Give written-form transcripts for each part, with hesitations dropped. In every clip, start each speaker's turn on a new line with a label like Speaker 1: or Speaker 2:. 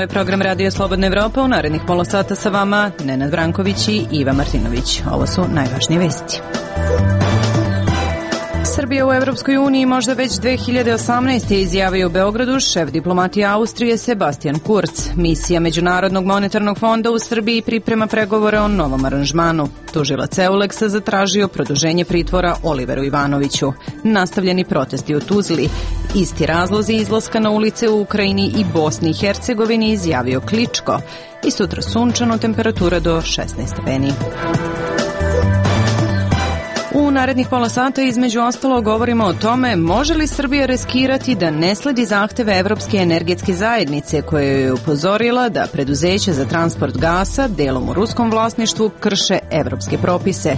Speaker 1: je program Radio Slobodna Evropa. U narednih pola sata sa vama Nenad Branković i Iva Martinović. Ovo su najvažnije vesti. Srbija u Evropskoj uniji možda već 2018. izjavio u Beogradu šef diplomatije Austrije Sebastian Kurz. Misija Međunarodnog monetarnog fonda u Srbiji priprema pregovore o novom aranžmanu. Tužilac Euleksa zatražio produženje pritvora Oliveru Ivanoviću. Nastavljeni protesti u Tuzli. Isti razlozi izlaska na ulice u Ukrajini i Bosni i Hercegovini izjavio Kličko. I sutra sunčano, temperatura do 16 stepeni. U narednih pola sata između ostalo govorimo o tome može li Srbija riskirati da ne sledi zahteve Evropske energetske zajednice koja je upozorila da preduzeća za transport gasa, delom u ruskom vlasništvu, krše evropske propise.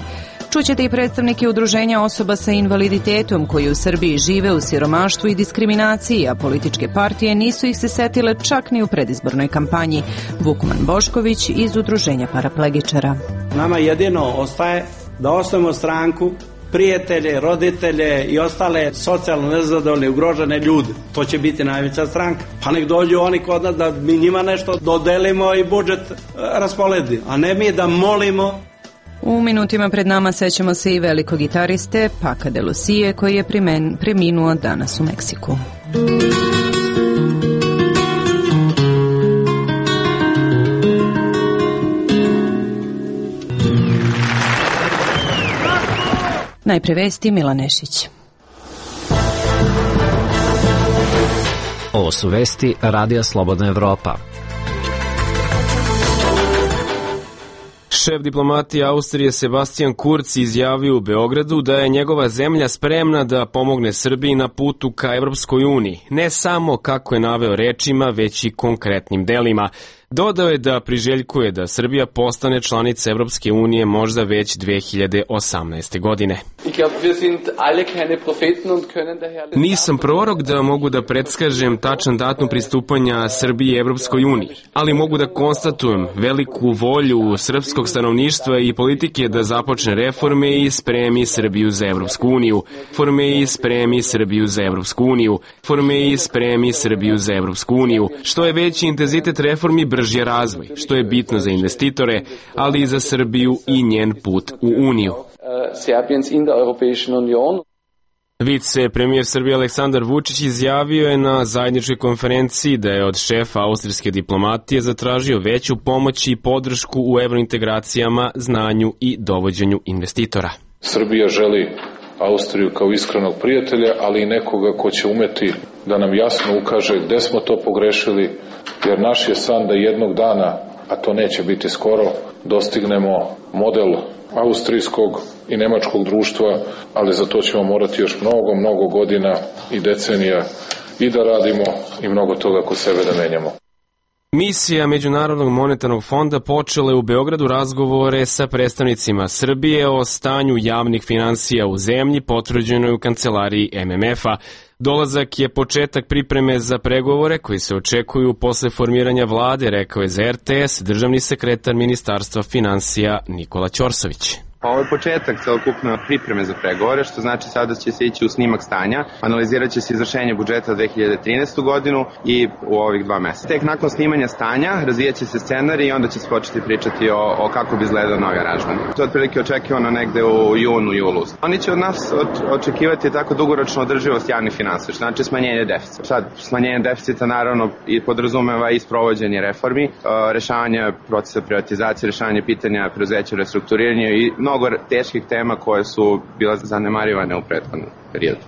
Speaker 1: Čućete i predstavnike udruženja osoba sa invaliditetom koji u Srbiji žive u siromaštvu i diskriminaciji, a političke partije nisu ih se setile čak ni u predizbornoj kampanji. Vukman Bošković iz udruženja paraplegičara.
Speaker 2: Nama jedino ostaje da osnovimo stranku, prijatelje, roditelje i ostale socijalno nezadovoljne, ugrožene ljude. To će biti najveća stranka. Pa nek dođu oni kod nas da mi njima nešto dodelimo i budžet rasporedi, a ne mi da molimo.
Speaker 1: U minutima pred nama sećamo se i velikog gitariste Paca de Lucie koji je preminuo danas u Meksiku. Najpre vesti, Milan Nešić.
Speaker 3: Ovo su vesti Radija Slobodna Evropa.
Speaker 4: Šef diplomatije Austrije Sebastian Kurz izjavio u Beogradu da je njegova zemlja spremna da pomogne Srbiji na putu ka Evropskoj uniji, ne samo kako je naveo rečima, već i konkretnim delima. Dodao je da priželjkuje da Srbija postane članica Evropske unije možda već 2018. godine. Nisam prorok da mogu da predskažem tačan datum pristupanja Srbije Evropskoj uniji, ali mogu da konstatujem veliku volju srpskog stanovništva i politike da započne reforme i spremi Srbiju za Evropsku uniju. Što je veći intenzitet reformi, brži je razvoj, što je bitno za investitore, ali i za Srbiju i njen put u Uniju. Vicepremijer Srbije Aleksandar Vučić izjavio je na zajedničkoj konferenciji da je od šefa austrijske diplomatije zatražio veću pomoć i podršku u evrointegracijama, znanju i dovođenju investitora.
Speaker 5: Srbija želi Austriju kao iskrenog prijatelja, ali i nekoga ko će umeti da nam jasno ukaže gde smo to pogrešili, jer naš je san da jednog dana, a to neće biti skoro, dostignemo model austrijskog i nemačkog društva, ali za to ćemo morati još mnogo godina i decenija i da radimo i mnogo toga kod sebe da menjamo.
Speaker 4: Misija Međunarodnog monetarnog fonda počela je u Beogradu razgovore sa predstavnicima Srbije o stanju javnih finansija u zemlji, potvrđeno je u kancelariji MMF-a. Dolazak je početak pripreme za pregovore koji se očekuju posle formiranja vlade, rekao je za RTS državni sekretar Ministarstva finansija Nikola Ćorsović.
Speaker 6: Ovo je početak celokupne pripreme za pregovore, što znači sada će se ići u snimak stanja, analizirat će se izvršenje budžeta 2013. godinu i u ovih 2 meseca. Tek nakon snimanja stanja razvijat će se scenarij i onda će se početi pričati o kako bi izgledao novi aranžman. To je otprilike očekivano negde u julu. Oni će od nas očekivati tako dugoročno održivost javnih finansija, što znači smanjenje deficita. Sad, smanjenje deficita naravno i podrazumeva i sprovođenje reformi, rešavanje procesa privatizacije, rešavanje pitanja preduzeća, restrukturiranja i mnogo teških tema koje su bila zanemarivane u prethodnom periodu.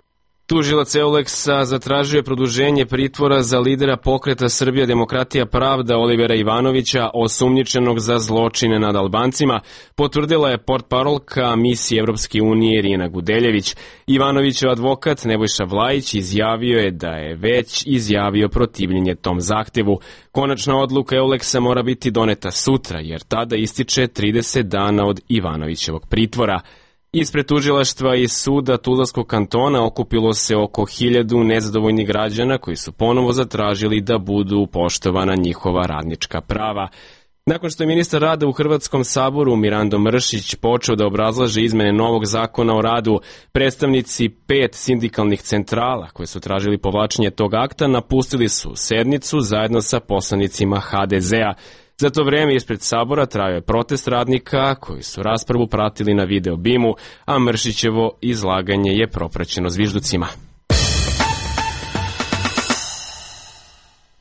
Speaker 4: Tužilac Euleksa zatražio je produženje pritvora za lidera pokreta Srbija demokratija pravda Olivera Ivanovića, osumnjičenog za zločine nad Albancima, potvrdila je portparolka misije Evropske unije Irina Gudeljević. Ivanovićev advokat Nebojša Vlajić izjavio je da je već izjavio protivljenje tom zahtevu. Konačna odluka Euleksa mora biti doneta sutra, jer tada ističe 30 dana od Ivanovićevog pritvora. Ispred tužilaštva i suda Tuzlanskog kantona okupilo se oko 1000 nezadovoljnih građana koji su ponovo zatražili da budu poštovana njihova radnička prava. Nakon što je ministar rada u Hrvatskom saboru Mirando Mršić počeo da obrazlaže izmene novog zakona o radu, predstavnici 5 sindikalnih centrala koje su tražili povlačenje tog akta napustili su sednicu zajedno sa poslanicima HDZ-a. Za to vreme ispred sabora trajao je protest radnika koji su raspravu pratili na video bimu, a Mršićevo izlaganje je propraćeno zvižducima.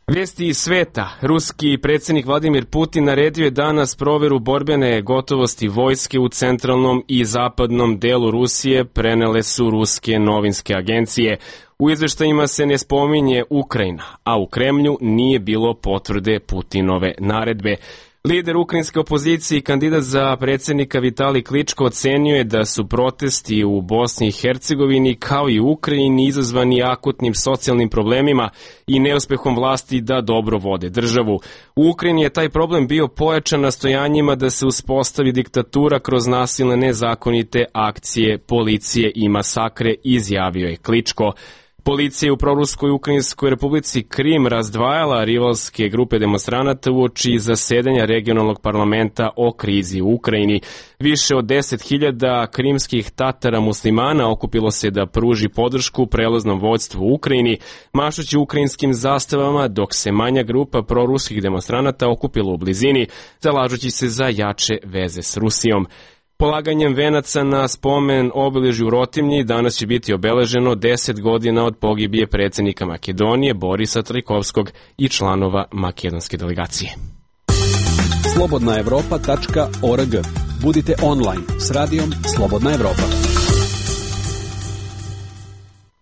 Speaker 4: Vesti iz sveta. Ruski predsjednik Vladimir Putin naredio je danas proveru borbene gotovosti vojske u centralnom i zapadnom delu Rusije, prenele su ruske novinske agencije. U izveštajima se ne spominje Ukrajina, a u Kremlju nije bilo potvrde Putinove naredbe. Lider ukrajinske opozicije i kandidat za predsjednika Vitalij Kličko ocenio je da su protesti u Bosni i Hercegovini kao i u Ukrajini izazvani akutnim socijalnim problemima i neuspehom vlasti da dobro vode državu. U Ukrajini je taj problem bio pojačan nastojanjima da se uspostavi diktatura kroz nasilne nezakonite akcije policije i masakre, izjavio je Kličko. Policija je u proruskoj Ukrajinskoj republici Krim razdvajala rivalske grupe demonstranata uoči zasedanja regionalnog parlamenta o krizi u Ukrajini. Više od 10.000 krimskih Tatara muslimana okupilo se da pruži podršku prelaznom vođstvu u Ukrajini, mašući ukrajinskim zastavama, dok se manja grupa proruskih demonstranata okupila u blizini, zalažući se za jače veze s Rusijom. Polaganjem venaca na spomen obeležju u Rotimlji danas će biti obeleženo 10 godina od pogibije predsjednika Makedonije Borisa Trajkovskog i članova makedonske delegacije.
Speaker 7: Slobodnaevropa.org. Budite online s radijom Slobodna Evropa.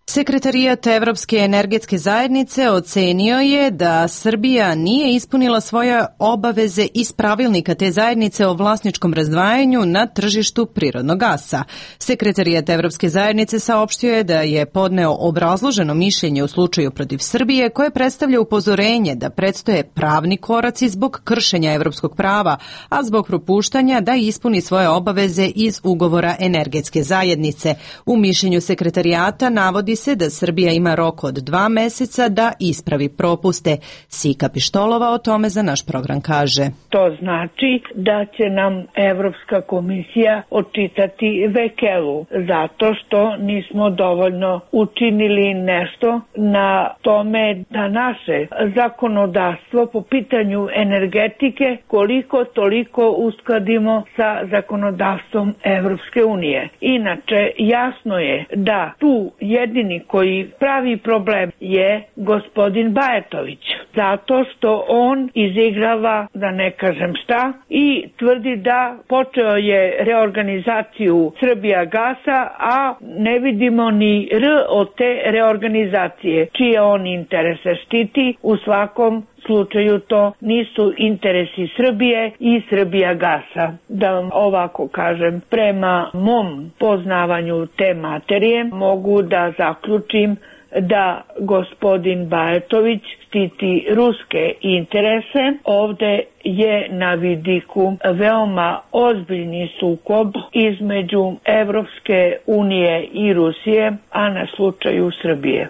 Speaker 1: Sekretarijat Evropske energetske zajednice ocenio je da Srbija nije ispunila svoje obaveze iz pravilnika te zajednice o vlasničkom razdvajanju na tržištu prirodnog gasa. Sekretarijat Evropske zajednice saopštio je da je podneo obrazloženo mišljenje u slučaju protiv Srbije koje predstavlja upozorenje da predstoje pravni koraci zbog kršenja evropskog prava, a zbog propuštanja da ispuni svoje obaveze iz ugovora energetske zajednice. U mišljenju sekretarijata navodi se da Srbija ima rok od 2 meseca da ispravi propuste. Sika Pištolova o tome za naš program kaže.
Speaker 8: To znači da će nam Evropska komisija odčitati vekelu zato što nismo dovoljno učinili nešto na tome da naše zakonodavstvo po pitanju energetike koliko toliko uskladimo sa zakonodavstvom Evropske unije. Inače, jasno je da tu jedini koji pravi problem je gospodin Bajatović, zato što on izigrava, da ne kažem šta, i tvrdi da počeo je reorganizaciju Srbijagasa, a ne vidimo ni R od te reorganizacije, čije on interese štiti. U svakom slučaju to nisu interesi Srbije i Srbijagasa. Da vam ovako kažem, prema mom poznavanju te materije mogu da zaključim da gospodin Bajatović štiti ruske interese. Ovde je na vidiku veoma ozbiljni sukob između Evropske unije i Rusije, a na slučaju Srbije.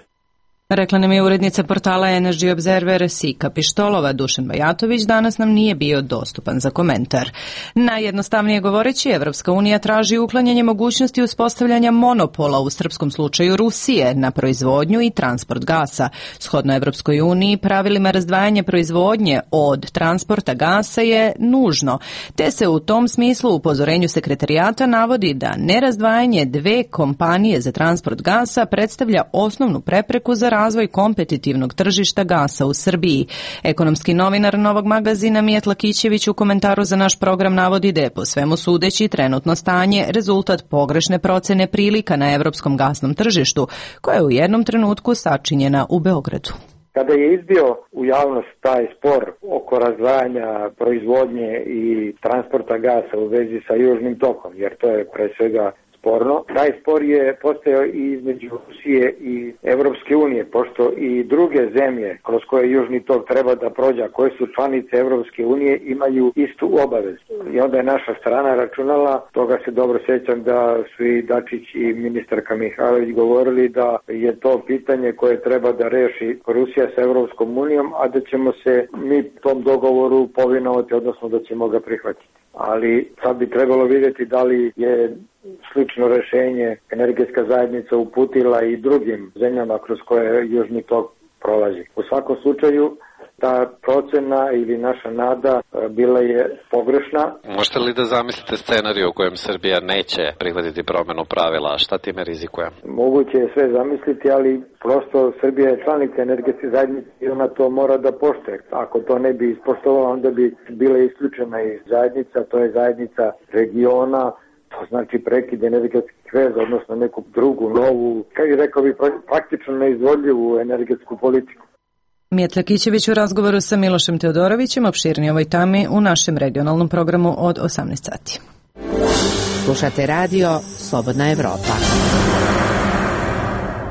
Speaker 1: Rekla nam je urednica portala Energy Observer Sika Pištolova. Dušan Bajatović danas nam nije bio dostupan za komentar. Najjednostavnije govoreći, Evropska unija traži uklanjanje mogućnosti uspostavljanja monopola u srpskom slučaju Rusije na proizvodnju i transport gasa. Shodno Evropskoj uniji, pravilima razdvajanja proizvodnje od transporta gasa je nužno, te se u tom smislu u upozorenju sekretarijata navodi da nerazdvajanje dve kompanije za transport gasa predstavlja osnovnu prepreku za razvoj kompetitivnog tržišta gasa u Srbiji. Ekonomski novinar Novog magazina Mijat Lakićević u komentaru za naš program navodi da je po svemu sudeći trenutno stanje rezultat pogrešne procene prilika na evropskom gasnom tržištu, koja je u jednom trenutku sačinjena u Beogradu.
Speaker 9: Kada je izbio u javnost taj spor oko razdvajanja proizvodnje i transporta gasa u vezi sa Južnim tokom, jer to je pre svega sporno. Taj spor je postojao i između Rusije i Evropske unije, pošto i druge zemlje kroz koje Južni tok treba da prođe, koje su članice Evropske unije, imaju istu obavezu. I onda je naša strana računala, toga se dobro sjećam da su i Dačić i ministarka Mihajlović govorili da je to pitanje koje treba da reši Rusija sa Evropskom unijom, a da ćemo se mi tom dogovoru povinovati, odnosno da ćemo ga prihvatiti. Ali sad bi trebalo vidjeti da li je slično rešenje energetska zajednica uputila i drugim zemljama kroz koje Južni tok prolazi. U svakom slučaju ta procena ili naša nada bila je pogrešna.
Speaker 3: Možete li da zamislite scenariju u kojem Srbija neće prihvatiti promenu pravila, a šta time rizikuje?
Speaker 9: Moguće je sve zamisliti, ali prosto Srbija je članica energetske zajednice i ona to mora da poštuje. Ako to ne bi ispoštovala, onda bi bila isključena iz zajednica, to je zajednica regiona, to znači prekid energetskih veza, odnosno neku drugu, novu, kao i rekao bi, praktično neizvodljivu energetsku politiku.
Speaker 1: Mijetla Kićević u razgovoru sa Milošem Teodorovićem, opširnije ovoj temi u našem regionalnom programu od 18 sati.
Speaker 10: Slušate radio Slobodna Evropa.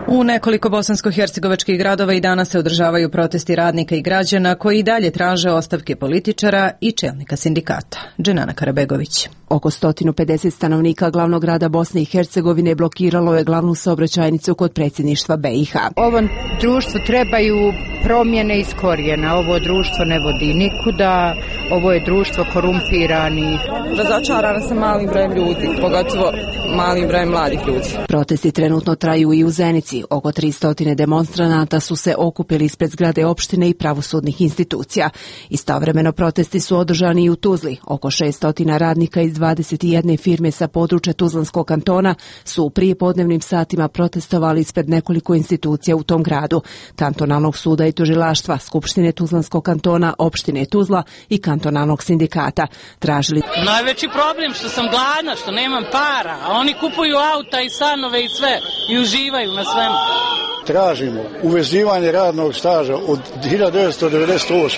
Speaker 1: U nekoliko bosansko-hercegovačkih gradova i danas se održavaju protesti radnika i građana koji i dalje traže ostavke političara i čelnika sindikata. Dženana Karabegović.
Speaker 10: Oko 150 stanovnika glavnog grada Bosne i Hercegovine blokiralo je glavnu saobraćajnicu kod predsjedništva BiH.
Speaker 11: Ovom društvu trebaju promjene iz korijena. Ovo društvo ne vodi nikuda, ovo je društvo korumpiranih.
Speaker 12: Razočarana sam malim brojem ljudi, pogotovo malim brojem mladih ljudi.
Speaker 10: Protesti trenutno traju i u Zenici. Oko 300 demonstranata su se okupili ispred zgrade opštine i pravosudnih institucija. Istovremeno protesti su održani i u Tuzli. Oko 600 radnika iz 21 firme sa područja Tuzlanskog kantona su u prijepodnevnim satima protestovali ispred nekoliko institucija u tom gradu. Kantonalnog suda i tužilaštva, Skupštine Tuzlanskog kantona, opštine Tuzla i kantonalnog sindikata. Tražili...
Speaker 13: Najveći problem što sam gladna, što nemam para, a oni kupuju auta i stanove i sve i uživaju na svemu.
Speaker 14: Tražimo uvezivanje radnog staža od 1998.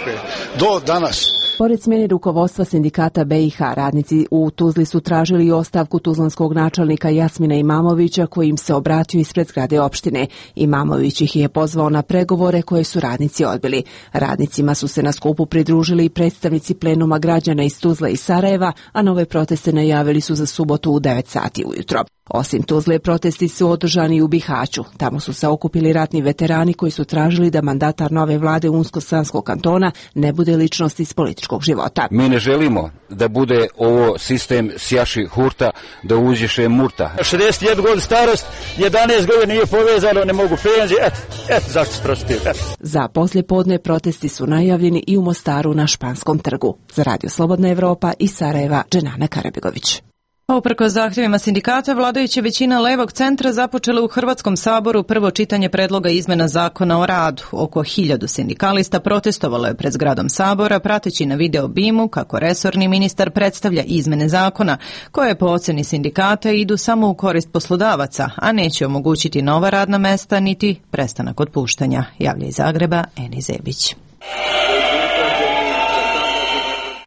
Speaker 14: do danas.
Speaker 10: Pored smjene rukovodstva sindikata BiH, radnici u Tuzli su tražili ostavku tuzlanskog načelnika Jasmina Imamovića koji im se obratio ispred zgrade opštine. Imamović ih je pozvao na pregovore koje su radnici odbili. Radnicima su se na skupu pridružili i predstavnici plenuma građana iz Tuzle i Sarajeva, a nove proteste najavili su za subotu u 9 sati ujutro. Osim Tuzle, protesti su održani u Bihaću. Tamo su se okupili ratni veterani koji su tražili da mandatar nove vlade Unsko-Sanskog kantona ne bude ličnost iz političkog života.
Speaker 15: Mi ne želimo da bude ovo sistem sjaši hurta, da uđeše murta.
Speaker 16: 61 godin starost, 11 godina nije povezano, ne mogu penzije, eto zašto se protiv.
Speaker 10: Za poslijepodne protesti su najavljeni i u Mostaru na Španskom trgu. Za Radio Slobodna Evropa iz Sarajeva, Dženana Karabegović.
Speaker 1: Uprkos zahtjevima sindikata, vladajuća većina levog centra započela u Hrvatskom saboru prvo čitanje predloga izmena zakona o radu. Oko 1000 sindikalista protestovalo je pred zgradom sabora, prateći na video bimu kako resorni ministar predstavlja izmene zakona, koje po oceni sindikata idu samo u korist poslodavaca, a neće omogućiti nova radna mesta niti prestanak otpuštanja, javlja iz Zagreba Eni Zebić.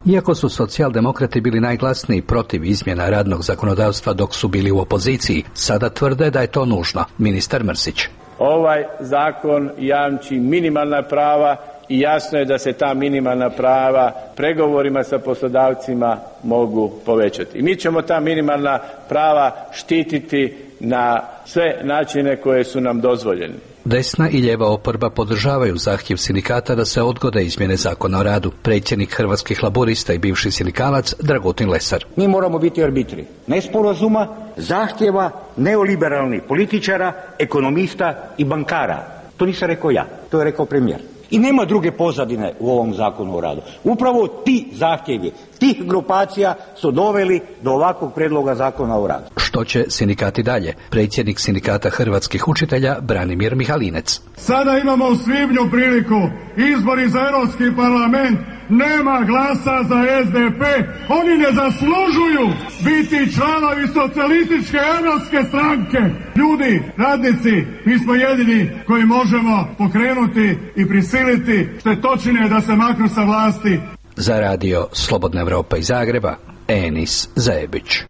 Speaker 17: Iako su socijaldemokrati bili najglasniji protiv izmjena radnog zakonodavstva dok su bili u opoziciji, sada tvrde da je to nužno. Ministar Mrsić.
Speaker 18: Ovaj zakon jamči minimalna prava i jasno je da se ta minimalna prava pregovorima sa poslodavcima mogu povećati. I mi ćemo ta minimalna prava štititi na sve načine koje su nam dozvoljeni.
Speaker 17: Desna i lijeva oporba podržavaju zahtjev sindikata da se odgode izmjene zakona o radu. Predsjednik Hrvatskih laburista i bivši sindikalac Dragutin Lesar.
Speaker 19: Mi moramo biti arbitri nesporazuma, zahtjeva neoliberalnih političara, ekonomista i bankara. To nisam rekao ja, to je rekao premijer. I nema druge pozadine u ovom zakonu o radu. Upravo ti zahtjevi tih grupacija su doveli do ovakvog predloga zakona o radu.
Speaker 17: Što će sindikati dalje? Predsjednik sindikata hrvatskih učitelja Branimir Mihalinec.
Speaker 20: Sada imamo u svibnju priliku, izbori za Europski parlament, nema glasa za SDP, oni ne zaslužuju biti članovi socijalističke europske stranke. Ljudi, radnici, mi smo jedini koji možemo pokrenuti i prisiliti štetočine da se maknu sa vlasti.
Speaker 17: Za radio Slobodna Evropa iz Zagreba, Enis Zajebić.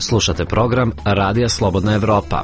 Speaker 21: Slušate program Radija Slobodna Evropa.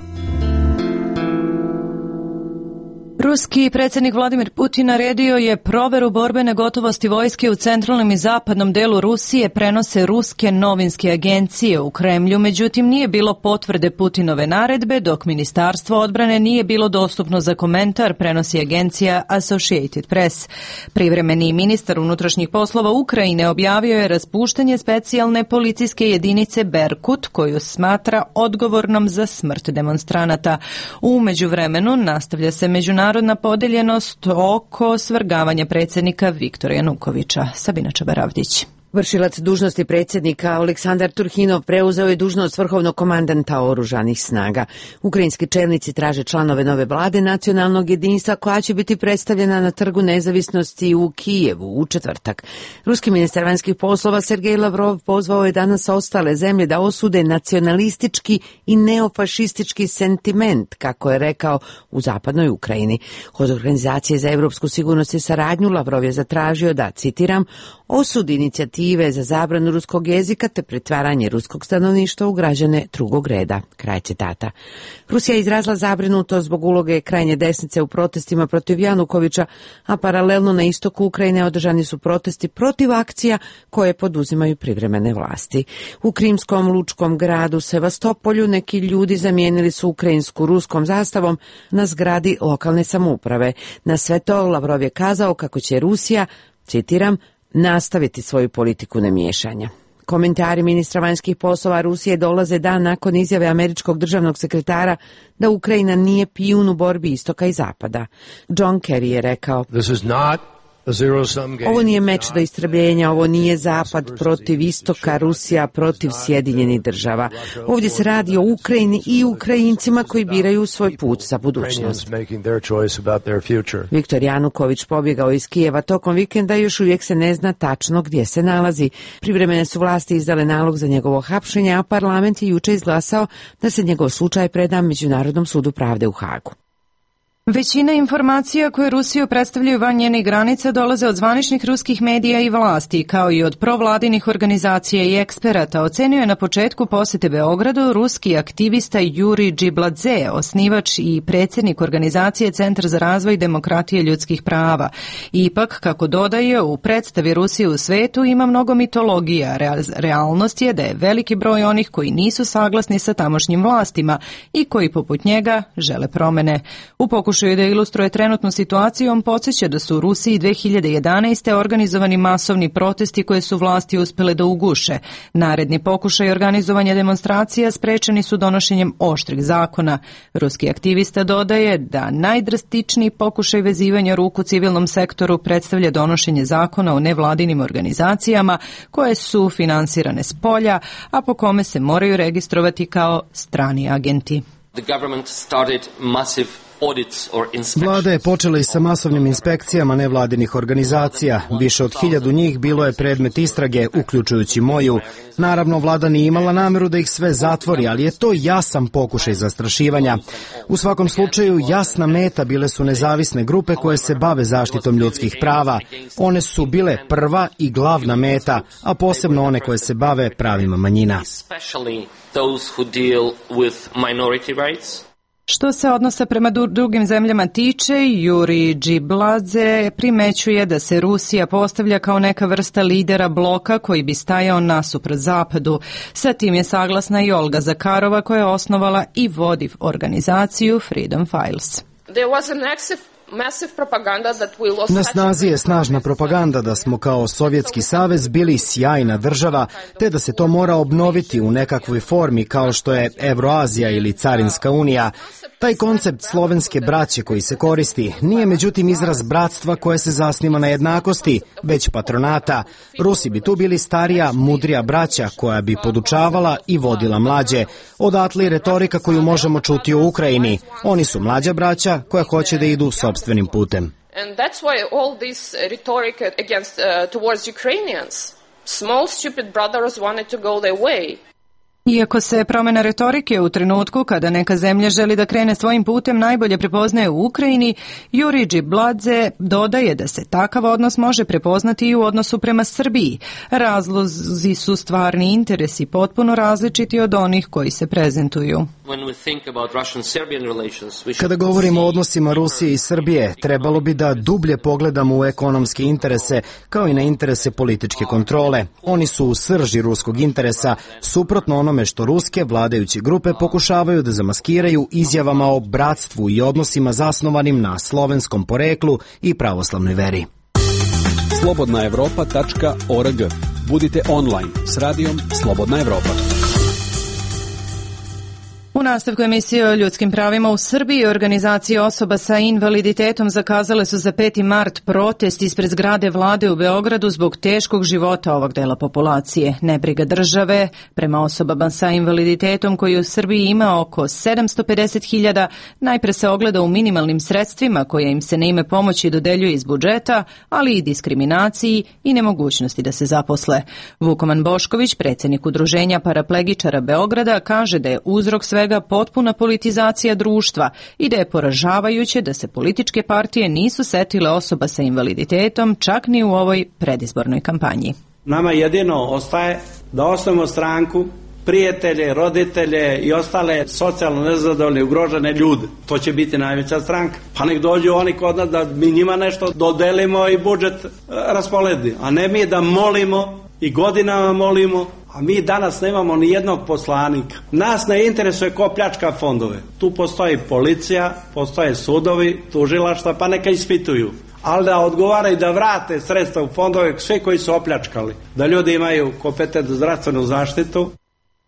Speaker 1: Ruski predsjednik Vladimir Putin naredio je proveru borbene gotovosti vojske u centralnom i zapadnom delu Rusije, prenose ruske novinske agencije u Kremlju, međutim nije bilo potvrde Putinove naredbe, dok Ministarstvo odbrane nije bilo dostupno za komentar, prenosi agencija Associated Press. Privremeni ministar unutrašnjih poslova Ukrajine objavio je raspuštanje specijalne policijske jedinice Berkut, koju smatra odgovornom za smrt demonstranata. U međuvremenu nastavlja se međunarodna podeljenost oko svrgavanja predsjednika Viktora Janukovića. Sabina Čabaravdić.
Speaker 22: Vršilac dužnosti predsjednika Aleksandar Turhinov preuzeo je dužnost vrhovnog komandanta oružanih snaga. Ukrajinski čelnici traže članove nove vlade nacionalnog jedinstva koja će biti predstavljena na Trgu nezavisnosti u Kijevu u četvrtak. Ruski ministar vanjskih poslova Sergej Lavrov pozvao je danas ostale zemlje da osude nacionalistički i neofašistički sentiment, kako je rekao, u zapadnoj Ukrajini. Od Organizacije za evropsku sigurnost i saradnju Lavrov je zatražio da, citiram, osudi inicijative za zabranu ruskog jezika te pretvaranje ruskog stanovništva u građane drugog reda. Kraj citata. Rusija je izrazila zabrinutost zbog uloge krajnje desnice u protestima protiv Janukovića, a paralelno na istoku Ukrajine održani su protesti protiv akcija koje poduzimaju privremene vlasti. U krimskom lučkom gradu Sevastopolju neki ljudi zamijenili su ukrajinsku ruskom zastavom na zgradi lokalne samouprave. Na sve to Lavrov je kazao kako će Rusija, citiram, nastaviti svoju politiku nemiješanja. Komentari ministra vanjskih poslova Rusije dolaze dan nakon izjave američkog državnog sekretara da Ukrajina nije pijun u borbi istoka i zapada. John Kerry je rekao: ovo nije meč do istrebljenja, ovo nije zapad protiv istoka, Rusija protiv Sjedinjenih država. Ovdje se radi o Ukrajini i Ukrajincima koji biraju svoj put za budućnost. Viktor Januković pobjegao iz Kijeva tokom vikenda i još uvijek se ne zna tačno gdje se nalazi. Privremene su vlasti izdale nalog za njegovo hapšenje, a parlament je juče izglasao da se njegov slučaj preda Međunarodnom sudu pravde u Hagu.
Speaker 1: Većina informacija koje Rusiju predstavljaju van njenih granica dolaze od zvaničnih ruskih medija i vlasti, kao i od provladinih organizacija i eksperata, ocenio je na početku posjete Beogradu ruski aktivista Juri Džibladze, osnivač i predsjednik organizacije Centar za razvoj demokratije ljudskih prava. Ipak, kako dodaje, u predstavi Rusije u svetu ima mnogo mitologija. Realnost je da je veliki broj onih koji nisu saglasni sa tamošnjim vlastima i koji poput njega žele promene. U pokušaju da ilustruje trenutnu situaciju, on podsjeća da su u Rusiji 2011. organizovani masovni protesti koje su vlasti uspjele da uguše. Naredni pokušaj organizovanja demonstracija sprečeni su donošenjem oštrih zakona. Ruski aktivista dodaje da najdrastičniji pokušaj vezivanja ruku civilnom sektoru predstavlja donošenje zakona o nevladinim organizacijama koje su finansirane s polja, a po kome se moraju registrovati kao strani agenti.
Speaker 23: Vlada je počela i sa masovnim inspekcijama nevladinih organizacija. Više od 1000 njih bilo je predmet istrage, uključujući moju. Naravno, vlada nije imala nameru da ih sve zatvori, ali je to jasan pokušaj zastrašivanja. U svakom slučaju, jasna meta bile su nezavisne grupe koje se bave zaštitom ljudskih prava. One su bile prva i glavna meta, a posebno one koje se bave pravima manjina.
Speaker 1: Što se odnosa prema drugim zemljama tiče, Juri Džibladze primećuje da se Rusija postavlja kao neka vrsta lidera bloka koji bi stajao nasuprot zapadu. Sa tim je saglasna i Olga Zakarova koja je osnovala i vodi organizaciju Freedom Files.
Speaker 23: Na snazi je snažna propaganda da smo kao Sovjetski savez bili sjajna država, te da se to mora obnoviti u nekakvoj formi kao što je Evroazija ili Carinska unija. Taj koncept slovenske braće koji se koristi nije međutim izraz bratstva koje se zasniva na jednakosti, već patronata. Rusi bi tu bili starija, mudrija braća koja bi podučavala i vodila mlađe. Odatle i retorika koju možemo čuti u Ukrajini. Oni su mlađa braća koja hoće da idu sopstvenim putem.
Speaker 24: And that's why all this rhetoric against towards Ukrainians. Small stupid brothers wanted to go their way.
Speaker 1: Iako se promjena retorike u trenutku kada neka zemlja želi da krene svojim putem najbolje prepoznaje u Ukrajini, Juri Džibladze dodaje da se takav odnos može prepoznati i u odnosu prema Srbiji. Razlozi su stvarni interesi potpuno različiti od onih koji se prezentuju.
Speaker 23: Kada govorimo o odnosima Rusije i Srbije, trebalo bi da dublje pogledamo u ekonomske interese, kao i na interese političke kontrole. Oni su u srži ruskog interesa, suprotno onome što ruske vladajuće grupe pokušavaju da zamaskiraju izjavama o bratstvu i odnosima zasnovanim na slovenskom poreklu i pravoslavnoj veri.
Speaker 7: slobodnaevropa.org. Budite online s radijom Slobodna Evropa.
Speaker 1: U nastavku emisije o ljudskim pravima u Srbiji, organizacije osoba sa invaliditetom zakazale su za 5. mart protest ispred zgrade vlade u Beogradu zbog teškog života ovog dela populacije. Nebriga države prema osobama sa invaliditetom koji u Srbiji ima oko 750.000 najpre se ogleda u minimalnim sredstvima koje im se na ime pomoći dodeljuje iz budžeta, ali i diskriminaciji i nemogućnosti da se zaposle. Vukoman Bošković, predsjednik Udruženja paraplegičara Beograda, kaže da je uzrok svega potpuna politizacija društva i da je poražavajuće da se političke partije nisu setile osoba sa invaliditetom čak ni u ovoj predizbornoj kampanji.
Speaker 2: Nama jedino ostaje da osnovimo stranku, prijatelje, roditelje i ostale socijalno nezadovoljne, ugrožene ljude. To će biti najveća stranka. Pa nek dođu oni kod nas da mi njima nešto dodelimo i budžet rasporedi. A ne mi da molimo i godinama molimo, a mi danas nemamo ni jednog poslanika. Nas ne interesuje ko pljačka fondove. Tu postoji policija, postoje sudovi, tužilaštva, pa neka ispituju. Ali da odgovaraju da vrate sredstva u fondove sve koji su opljačkali. Da ljudi imaju kompetentnu zdravstvenu zaštitu.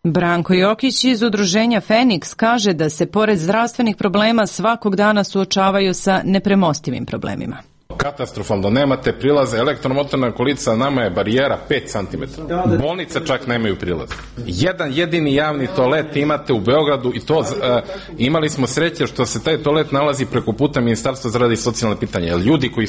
Speaker 1: Branko Jokić iz udruženja Feniks kaže da se pored zdravstvenih problema svakog dana suočavaju sa nepremostivim problemima.
Speaker 4: Katastrofalno, nemate prilaze, elektromotorna kolica nama je barijera 5 cm. Bolnice čak nemaju prilaz. Jedan jedini javni toalet imate u Beogradu i to imali smo sreće što se taj toalet nalazi preko puta Ministarstva za rad i socijalne pitanja. Jer ljudi koji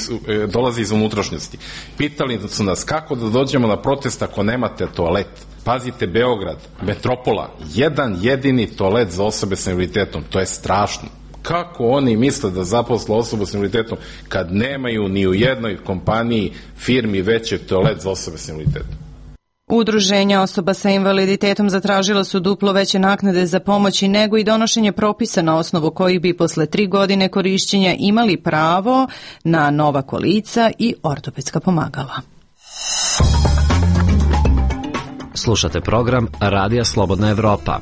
Speaker 4: dolaze iz unutrašnjosti pitali su nas kako da dođemo na protest ako nemate toalet. Pazite, Beograd, metropola, jedan jedini toalet za osobe s invaliditetom, to je strašno. Kako oni misle da zaposle osobu s invaliditetom kad nemaju ni u jednoj kompaniji, firmi većeg toalet za osobe s invaliditetom?
Speaker 1: Udruženja osoba sa invaliditetom zatražila su duplo veće naknade za pomoć i negu i donošenje propisa na osnovu kojih bi posle 3 godine korišćenja imali pravo na nova kolica i ortopedska pomagala.
Speaker 21: Slušate program Radija Slobodna Evropa.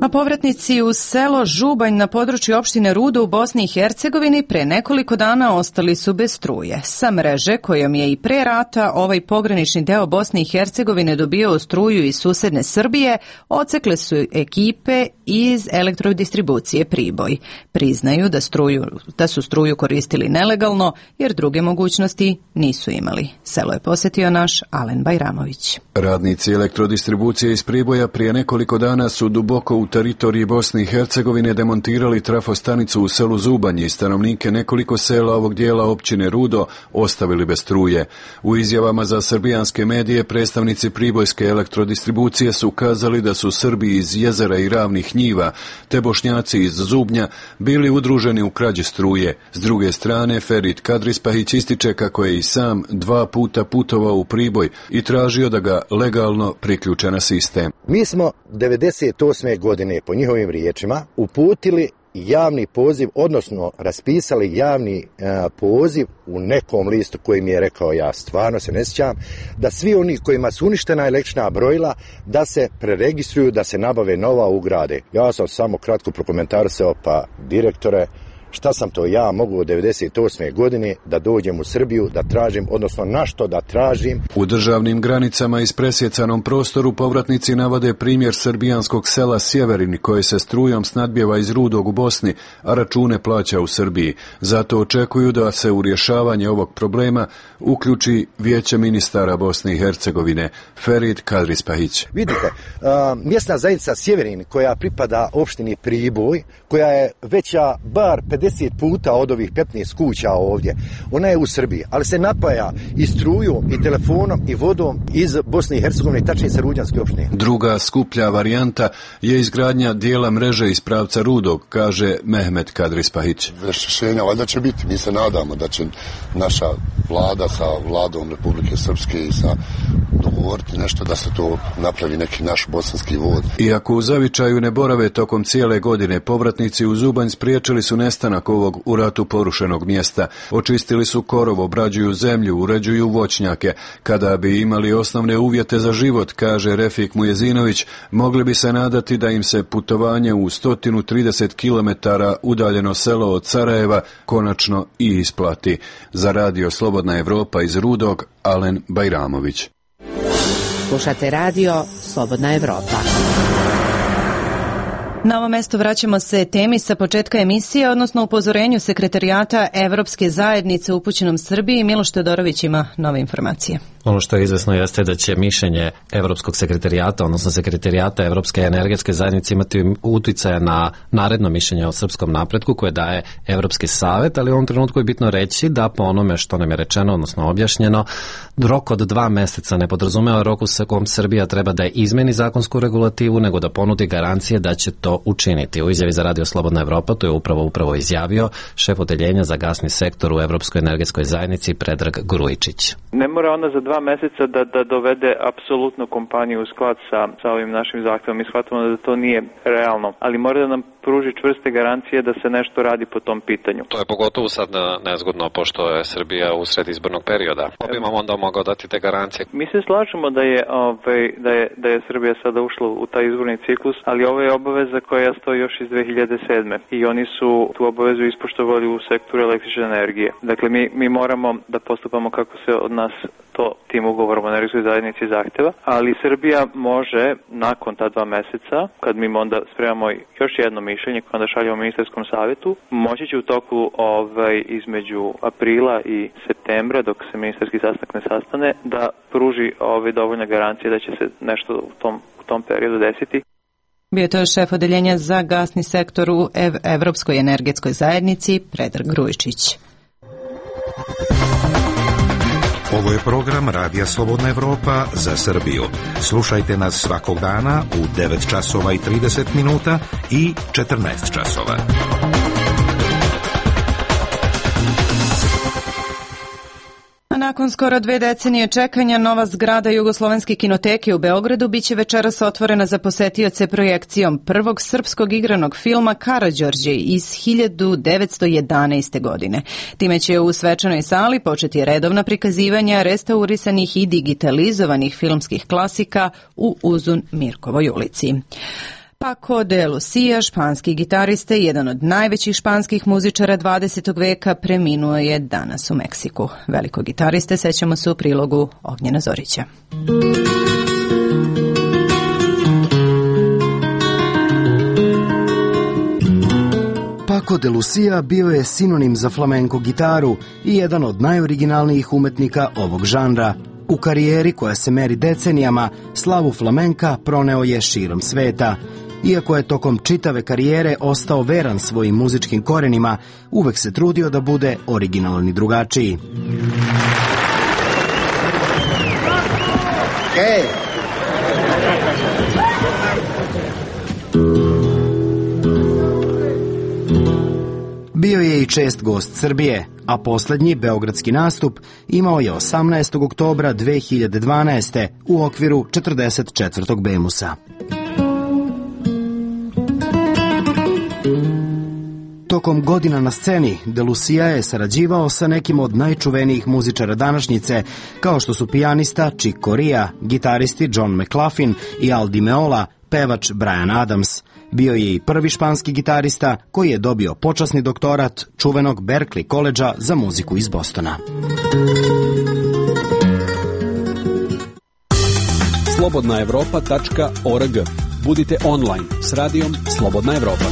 Speaker 1: A povratnici u selo Žubanj na području opštine Rudo u Bosni i Hercegovini pre nekoliko dana ostali su bez struje. Sa mreže kojom je i pre rata ovaj pogranični deo Bosne i Hercegovine dobio struju iz susedne Srbije, odsekle su ekipe iz elektrodistribucije Priboj. Priznaju da su struju koristili nelegalno jer druge mogućnosti nisu imali. Selo je posjetio naš Alen Bajramović.
Speaker 5: Radnici elektrodistribucije iz Priboja prije nekoliko dana su duboko u teritoriji Bosne i Hercegovine demontirali trafostanicu u selu Zubanj i stanovnike nekoliko sela ovog dijela općine Rudo ostavili bez struje. U izjavama za srbijanske medije predstavnici pribojske elektrodistribucije su ukazali da su Srbi iz Jezera i Ravnih njiva te Bošnjaci iz Zubnja bili udruženi u krađi struje. S druge strane, Ferit Kadrispahić ističe kako je i sam 2 puta putovao u Priboj i tražio da ga legalno priključe na sistem.
Speaker 6: Mi smo 98. godine po njihovim riječima uputili javni poziv, odnosno raspisali javni poziv u nekom listu koji mi je rekao, ja stvarno se ne sjećam, da svi oni kojima su uništena električna brojila da se preregistruju, da se nabave nova, ugrade. Ja sam samo kratko prokomentarisao, pa direktore, šta sam to ja mogu od 98. godine da dođem u Srbiju, da tražim, odnosno na što da tražim.
Speaker 5: U državnim granicama i presjecanom prostoru povratnici navode primjer srbijanskog sela Sjeverin koje se strujom snadbijeva iz Rudog u Bosni, a račune plaća u Srbiji. Zato očekuju da se u rješavanje ovog problema uključi Vijeće ministara Bosne i Hercegovine, Ferit Kadrispahić.
Speaker 6: Vidite, mjesna zajednica Sjeverin koja pripada opštini Priboj, koja je veća bar 10 puta od ovih 15 kuća ovdje. Ona je u Srbiji, ali se napaja i strujom, i telefonom, i vodom iz Bosne i Hercegovine, tačnije sa Ruđanske opštine.
Speaker 5: Druga skuplja varijanta je izgradnja dijela mreže iz pravca Rudog, kaže Mehmet Kadri-Spahić.
Speaker 3: Rješenja valjda će biti. Mi se nadamo da će naša vlada sa vladom Republike Srpske i sa dogovoriti nešto da se to napravi neki naš bosanski vod.
Speaker 5: Iako u zavičaju ne borave tokom cijele godine, povratnici u Zubanj spriječili su nestanak ovog u ratu porušenog mjesta. Očistili su korov, obrađuju zemlju, uređuju voćnjake. Kada bi imali osnovne uvjete za život, kaže Refik Mujezinović, mogli bi se nadati da im se putovanje u 130 km udaljeno selo od Sarajeva konačno i isplati. Za radio Slobodna Evropa iz Rudog, Alen Bajramović.
Speaker 22: Slušate radio Slobodna Evropa.
Speaker 1: Na ovo mesto vraćamo se temi sa početka emisije, odnosno upozorenju Sekretarijata Evropske zajednice upućenom Srbiji. Miloš Todorović ima nove informacije.
Speaker 21: Ono što je izvesno jeste da će mišljenje Evropskog sekretarijata, odnosno Sekretarijata Evropske energetske zajednice imati uticaja na naredno mišljenje o srpskom napretku koje daje Evropski savet, ali u ovom trenutku je bitno reći da po onome što nam je rečeno, odnosno objašnjeno, rok od 2 meseca ne podrazumeva rok u kom Srbija treba da izmeni zakonsku regulativu, nego da ponudi garancije da će to učiniti. U izjavi za radio Slobodna Evropa to je upravo izjavio šef odeljenja za gasni sektor u Evropskoj energetskoj zajednici Predrag Grujičić.
Speaker 8: Ne mora ona za 2 meseca da dovede apsolutno kompaniju u sklad sa ovim našim zahtevom. Mi shvatamo da to nije realno, ali mora da nam pruži čvrste garancije da se nešto radi po tom pitanju.
Speaker 21: To je pogotovo sad nezgodno, pošto je Srbija usred izbornog perioda. Pa bi vam onda mogao dati te garancije?
Speaker 8: Mi se slažemo da je Srbija sada ušla u taj izborni ciklus, ali ovo je obaveza koja stoji još iz 2007. I oni su tu obavezu ispoštovali u sektoru električne energije. Dakle, mi moramo da postupamo kako se od nas to tim ugovorom o energetskoj zajednici zahteva, ali Srbija može nakon ta 2 meseca, kad mi onda spremamo još jedno mišljenje koje onda šaljemo ministarskom savjetu, moći će u toku između aprila i septembra, dok se ministarski sastanak ne sastane, da pruži dovoljne garancije da će se nešto u tom periodu desiti.
Speaker 1: Bio je to šef odeljenja za gasni sektor u Evropskoj energetskoj zajednici Predrag Grujičić.
Speaker 9: Ovo je program Radija Slobodna Evropa za Srbiju. Slušajte nas svakog dana u 9 časova i 30 minuta i 14 časova.
Speaker 1: Nakon skoro 2 decenije čekanja, nova zgrada Jugoslovenske kinoteke u Beogradu biće večeras otvorena za posetioce projekcijom prvog srpskog igranog filma Karađorđe iz 1911. godine. Time će u svečanoj sali početi redovna prikazivanja restaurisanih i digitalizovanih filmskih klasika u Uzun Mirkovoj ulici. Paco de Lucia, španski gitarista i jedan od najvećih španskih muzičara 20. veka, preminuo je danas u Meksiku. Velikog gitariste sećamo se u prilogu Ognjena Zorića.
Speaker 23: Paco de Lucia bio je sinonim za flamenko gitaru i jedan od najoriginalnijih umetnika ovog žanra. U karijeri koja se meri decenijama, slavu flamenka proneo je širom sveta. Iako je tokom čitave karijere ostao veran svojim muzičkim korenima, uvek se trudio da bude originalan i drugačiji. Bio je i čest gost Srbije, a poslednji beogradski nastup imao je 18. oktobra 2012. u okviru 44. Bemusa. Tokom godina na sceni, De Lucia je sarađivao sa nekim od najčuvenijih muzičara današnjice, kao što su pijanista Chick Corea, gitaristi John McLaughlin i Al Di Meola, pevač Bryan Adams. Bio je i prvi španski gitarista koji je dobio počasni doktorat čuvenog Berklee koledža za muziku iz Bostona.
Speaker 7: slobodnaevropa.org. Budite online s radijom Slobodna Evropa.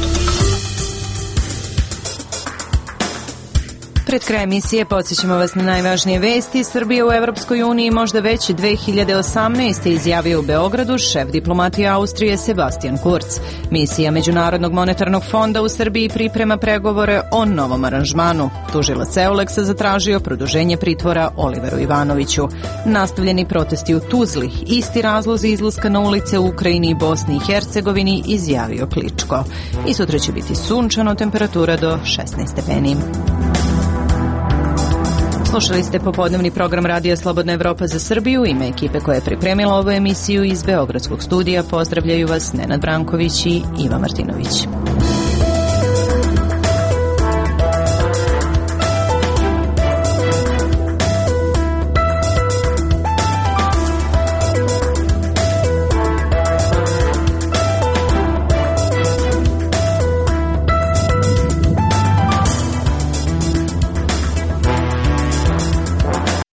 Speaker 1: Pred kraj emisije podsjećamo vas na najvažnije vesti. Srbija u Evropskoj uniji možda već 2018. izjavio u Beogradu šef diplomatije Austrije Sebastian Kurz. Misija Međunarodnog monetarnog fonda u Srbiji priprema pregovore o novom aranžmanu. Tužilac Euleksa zatražio produženje pritvora Oliveru Ivanoviću. Nastavljeni protesti u Tuzli, isti razlozi izlaska na ulice u Ukrajini i Bosni i Hercegovini, izjavio Kličko. I sutra će biti sunčano, temperatura do 16 stepeni. Slušali ste popodnevni program Radija Slobodna Evropa za Srbiju. Ime ekipe koja je pripremila ovu emisiju iz Beogradskog studija pozdravljaju vas Nenad Branković i Iva Martinović.